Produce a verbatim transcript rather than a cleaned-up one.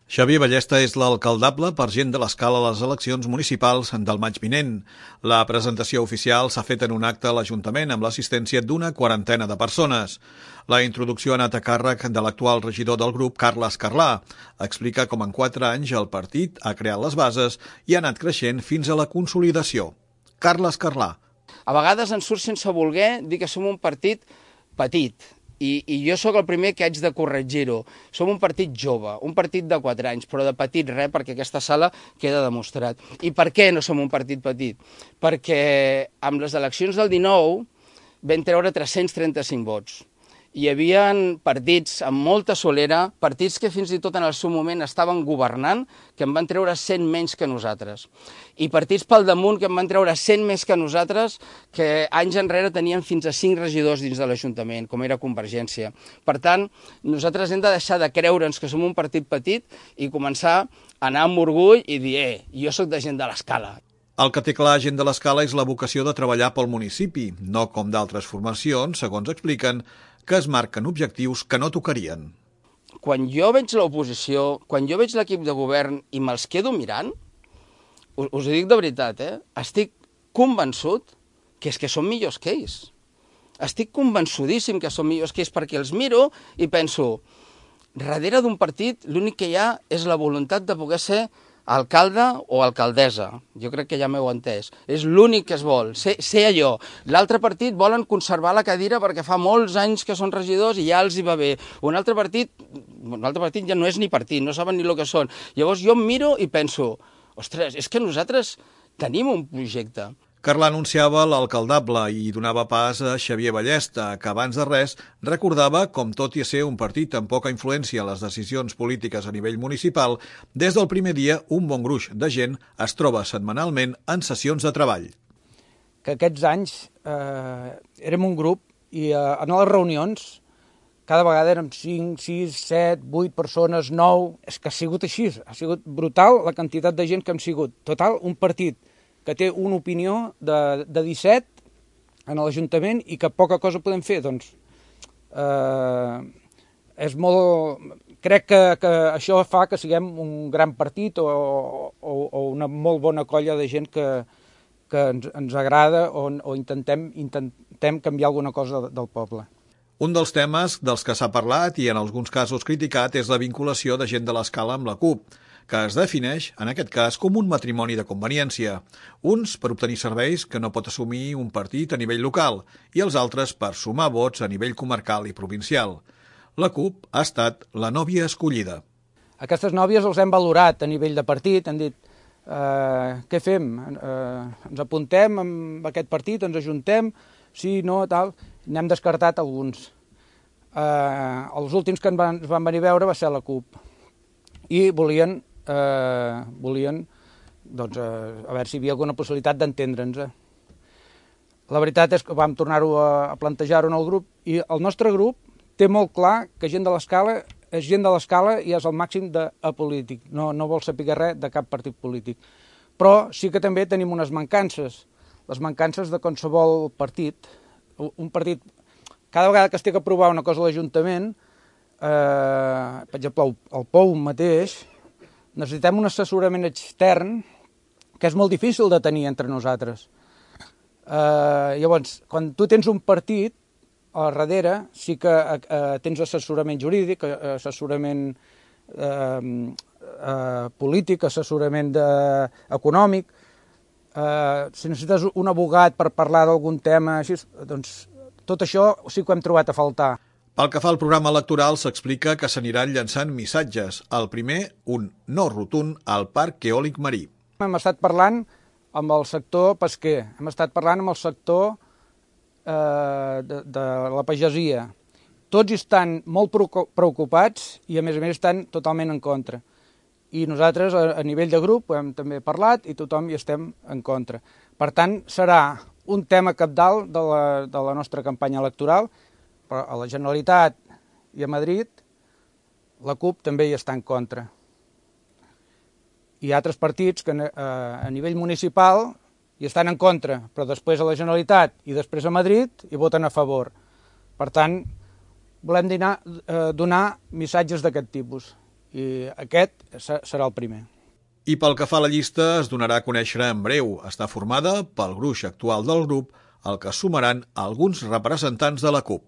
Xavier Ballesta és l'alcaldable per Gent de l'Escala a les eleccions municipals del maig vinent. La presentació oficial s'ha fet en un acte a l'Ajuntament amb l'assistència d'una quarantena de persones. La introducció ha anat a càrrec de l'actual regidor del grup, Carles Carlà. Explica com en quatre anys el partit ha creat les bases i ha anat creixent fins a la consolidació. Carles Carlà. A vegades ens surt sense voler dir que som un partit petit. I, i jo sóc el primer que haig de corregir-ho. Som un partit jove, un partit de quatre anys, però de petit res, perquè aquesta sala queda demostrat. I per què no som un partit petit? Perquè amb les eleccions del dinou vam treure tres-cents trenta-cinc vots. Hi havia partits amb molta solera, partits que fins i tot en el seu moment estaven governant, que en van treure cent menys que nosaltres. I partits pel damunt que en van treure cent més que nosaltres, que anys enrere tenien fins a cinc regidors dins de l'Ajuntament, com era Convergència. Per tant, nosaltres hem de deixar de creure'ns que som un partit petit i començar a anar amb orgull i dir, eh, jo sóc de Gent de l'Escala. El que té clar Gent de l'Escala és la vocació de treballar pel municipi, no com d'altres formacions, segons expliquen, que es marquen objectius que no tocarien. Quan jo veig l'oposició, quan jo veig l'equip de govern i me'ls quedo mirant, us, us ho dic de veritat, eh? Estic convençut que és que són millors que ells. Estic convençudíssim que són millors que ells perquè els miro i penso, darrere d'un partit l'únic que hi ha és la voluntat de poder ser alcalde o alcaldessa, jo crec que ja m'heu entès. És l'únic que es vol, ser, ser allò. L'altre partit volen conservar la cadira perquè fa molts anys que són regidors i ja els hi va bé. Un altre partit, un altre partit ja no és ni partit, no saben ni el que són. Llavors jo em miro i penso, ostres, és que nosaltres tenim un projecte. Carlà anunciava l'alcaldable i donava pas a Xavier Ballesta, que abans de res recordava com, tot i ser un partit amb poca influència a les decisions polítiques a nivell municipal, des del primer dia un bon gruix de gent es troba setmanalment en sessions de treball. Que aquests anys eh, érem un grup i eh, en les reunions cada vegada érem cinc, sis, set, vuit persones, nou... És que ha sigut així, ha sigut brutal la quantitat de gent que hem sigut. Total, un partit que té una opinió de, de disset en l'Ajuntament i que poca cosa podem fer, doncs eh, és molt... Crec que, que això fa que siguem un gran partit o, o, o una molt bona colla de gent que, que ens, ens agrada o, o intentem, intentem canviar alguna cosa del poble. Un dels temes dels que s'ha parlat i en alguns casos criticat és la vinculació de Gent de l'Escala amb la CUP, que es defineix, en aquest cas, com un matrimoni de conveniència. Uns per obtenir serveis que no pot assumir un partit a nivell local i els altres per sumar vots a nivell comarcal i provincial. La CUP ha estat la nòvia escollida. Aquestes nòvies els hem valorat a nivell de partit, han dit eh, què fem? Eh, ens apuntem amb aquest partit, ens ajuntem, sí, no, tal... N'hem descartat alguns. Eh, els últims que ens van, ens van venir a veure va ser la CUP i volien Eh, volien doncs, eh, a veure si hi havia alguna possibilitat d'entendre'ns. La veritat és que vam tornar-ho a, a plantejar-ho en el grup i el nostre grup té molt clar que Gent de l'Escala és Gent de l'Escala i és el màxim d'apolític, no, no vol saber res de cap partit polític. Però sí que també tenim unes mancances, les mancances de qualsevol partit. Un partit, cada vegada que es té que aprovar una cosa a l'Ajuntament, eh, per exemple, el, el P O U mateix, necessitem un assessorament extern que és molt difícil de tenir entre nosaltres. Eh, llavors, quan tu tens un partit, a darrere sí que eh, tens assessorament jurídic, assessorament eh, eh, polític, assessorament de, econòmic. Eh, si necessites un abogat per parlar d'algun tema, així, doncs tot això sí que ho hem trobat a faltar. Pel que fa al programa electoral, s'explica que s'aniran llançant missatges. El primer, un no rotund al Parc Eòlic Marí. Hem estat parlant amb el sector pesquer, hem estat parlant amb el sector eh, de, de la pagesia. Tots estan molt preocupats i, a més a més, estan totalment en contra. I nosaltres, a, a nivell de grup, hem també parlat i tothom hi estem en contra. Per tant, serà un tema cabdal de la, de la nostra campanya electoral, però a la Generalitat i a Madrid la CUP també hi està en contra. Hi ha altres partits que eh, a nivell municipal hi estan en contra, però després a la Generalitat i després a Madrid hi voten a favor. Per tant, volem dinar, eh, donar missatges d'aquest tipus i aquest serà el primer. I pel que fa a la llista, es donarà a conèixer en breu. Està formada pel gruix actual del grup, al que sumaran alguns representants de la CUP.